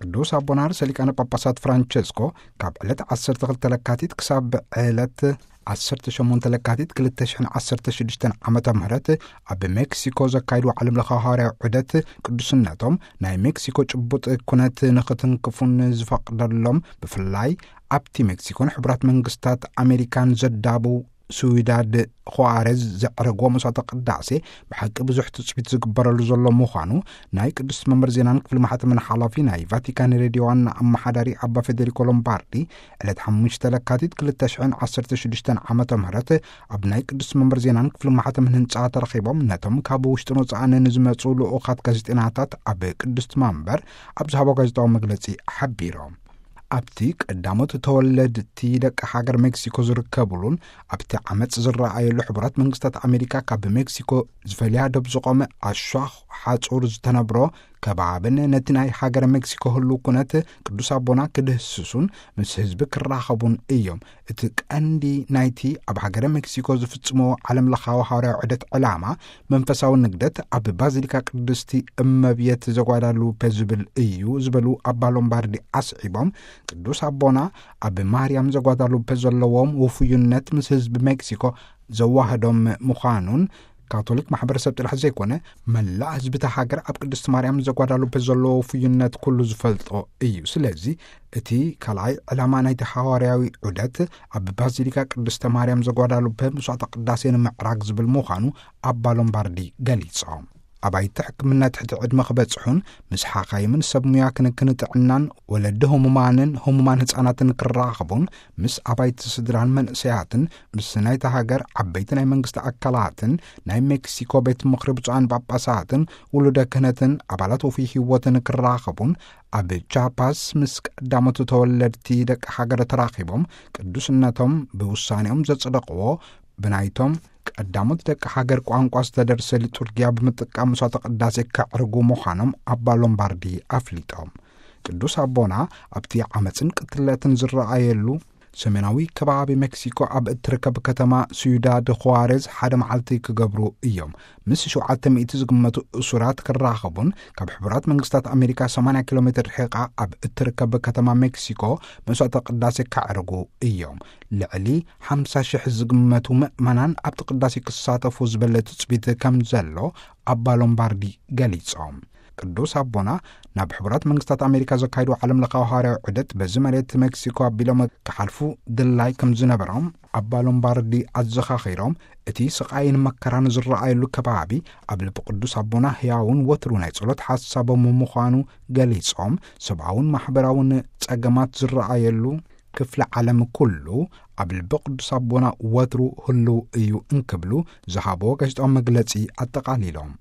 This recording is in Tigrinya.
ቅዱስ ኣቦና ርእሰ ሊቃነ ጳጳሳት ፍራንቸስኮ ካብ ዕለት ዓሰርተ ክልተ ለካቲት ክሳብ ዕለት ዓሰርተ ሸሞንተ ለካቲት ክልተ ሽሕን ዓሰርተ ሽዱሽተን ዓመተ ምህረት ኣብ ሜክሲኮ ዘካይድዎ ዓለም ለኻዊ ሃዋርያዊ ዑደት፣ ቅዱስነቶም ናይ ሜክሲኮ ጭቡጥ ኩነት ንኽትንክፉን ዝፈቕደሎም፣ ብፍላይ ኣብቲ ሜክሲኮን ሕቡራት መንግስታት ኣሜሪካን ዘዳቡ ስዊዳድ ኹዋሬዝ ዘዕረግዎ መስዋዕተ ቅዳሴ ብሓቂ ብዙሕ ትጽቢት ዝግበረሉ ዘሎ ምዃኑ ናይ ቅድስቲ መንበር ዜናን ክፍሊ ማሕተምን ሓላፊ ናይ ቫቲካን ሬድዮ ዋና ኣመሓዳሪ ኣባ ፌዴሪኮ ሎምባርዲ ዕለት ሓሙሽተ ለካቲት ክልተ ሽሕን ዓሰርተ ሽዱሽተን ዓመተ ምህረት ኣብ ናይ ቅድስቲ መንበር ዜናን ክፍሊ ማሕተምን ህንጻ ተረኺቦም ነቶም ካብ ውሽጥን ወጻእን ንዝመጹ ልኡኻት ጋዜጠናታት ኣብ ቅድስቲ መንበር ኣብ ዝሃቦ ጋዜጣዊ መግለጺ ሓቢሮም። ኣብቲ ቀዳሞት ተወለድቲ ደቂ ሃገር ሜክሲኮ ዝርከብሉን ኣብቲ ዓመጽ ዝረኣየሉ ሕቡራት መንግስታት ኣሜሪካ ካብ ሜክሲኮ ዝፈልያ ደብ ዝቖመ ኣሻኽ ሓጹር ዝተነብሮ ከባብን ነቲ ናይ ሃገር ሜክሲኮ ህሉ ኩነት ቅዱስ ኣቦና ክድህስሱን ምስ ህዝቢ ክራኸቡን እዮም። እቲ ቀንዲ ናይቲ ኣብ ሃገረ ሜክሲኮ ዝፍጽሞ ዓለም ለኻዊ ሃዋርያዊ ዑደት ዕላማ መንፈሳዊ ንግደት ኣብ ባዚሊካ ቅድስቲ እመብየት ዘጓዳሉፔ ዝብል እዩ ዝበሉ ኣባ ሎምባርዲ ኣስዒቦም፣ ቅዱስ ኣቦና ኣብ ማርያም ዘጓዳሉፔ ዘለዎም ውፉይነት ምስ ህዝቢ ሜክሲኮ ዘዋህዶም ምዃኑን፣ ካቶሊክ ማሕበረሰብ ጥራሕ ዘይኮነ መላእ ህዝቢ እታ ሃገር ኣብ ቅድስቲ ማርያም ዘጓዳሉፔ ዘለዎ ውፉይነት ኩሉ ዝፈልጦ እዩ። ስለዚ እቲ ካልኣይ ዕላማ ናይቲ ሃዋርያዊ ዑደት ኣብ ባዚሊካ ቅድስተ ማርያም ዘጓዳሉፔ መስዋዕተ ቅዳሴ ንምዕራግ ዝብል ምዃኑ ኣባ ሎምባርዲ ገሊጾም። ኣባይቲ ሕክምና ትሕቲ ዕድመ ክበጽሑን ምስ ሓኻይምን ሰብ ሙያ ክንክን ጥዕናን ወለዲ ህሙማንን ህሙማን ህጻናትን ክራኸቡን ምስ ኣባይቲ ስድራን መንእሰያትን ምስ ናይታ ሃገር ዓበይቲ ናይ መንግስቲ ኣካላትን ናይ ሜክሲኮ ቤት ምኽሪ ብፁዓን ጳጳሳትን ውሉደ ክህነትን ኣባላት ውፉይ ህይወትን ክራኸቡን ኣብ ቻፓስ ምስ ቀዳሞት ተወለድቲ ደቂ ሃገር ተራኺቦም ቅዱስነቶም ብውሳኔኦም ዘጽደቕዎ ብናይቶም ቀዳሞት ደቂ ሃገር ቋንቋ ዝተደርሰ ሊጡርጊያ ብምጥቃም መስዋዕተ ቅዳሴ ከዕርጉ ምዃኖም ኣባ ሎምባርዲ ኣፍሊጦም። ቅዱስ ኣቦና ኣብቲ ዓመፅን ቅትለትን ዝረኣየሉ ሰሜናዊ ከባቢ ሜክሲኮ ኣብ እትርከብ ከተማ ሲዩዳድ ኹዋሬዝ ሓደ መዓልቲ ክገብሩ እዮም። ምስ ሸውዓተ ሚእቲ ዝግመቱ እሱራት ክራኸቡን ካብ ሕቡራት መንግስታት ኣሜሪካ ሰማንያ ኪሎ ሜትር ርሒቓ ኣብ እትርከብ ከተማ ሜክሲኮ መስዋዕተ ቅዳሴ ከዕርጉ እዮም። ልዕሊ ሓምሳ ሽሕ ዝግመቱ ምእመናን ኣብቲ ቅዳሴ ክሳተፉ ዝበለ ትጽቢት ከም ዘሎ ኣባ ሎምባርዲ ገሊጾም። ቅዱስ ኣቦና ናብ ሕቡራት መንግስታት ኣሜሪካ ዘካይዱ ዓለም ለኻዊ ሃዋርያዊ ዑደት በዚ መሬት ሜክሲኮ ኣቢሎም ክሓልፉ ድላይ ከም ዝነበሮም ኣባ ሎምባርዲ ኣዘኻኺሮም፣ እቲ ስቓይን መከራን ዝረኣየሉ ከባቢ ኣብ ልቢ ቅዱስ ኣቦና ህያውን ወትሩ ናይ ጸሎት ሓሳቦም ምዃኑ ገሊጾም፣ ሰብኣውን ማሕበራውን ጸገማት ዝረኣየሉ ክፍለ ዓለም ኩሉ ኣብ ልቢ ቅዱስ ኣቦና ወትሩ ህልው እዩ እንክብሉ ዝሃቦ ጋዜጣዊ መግለጺ ኣጠቓሊሎም።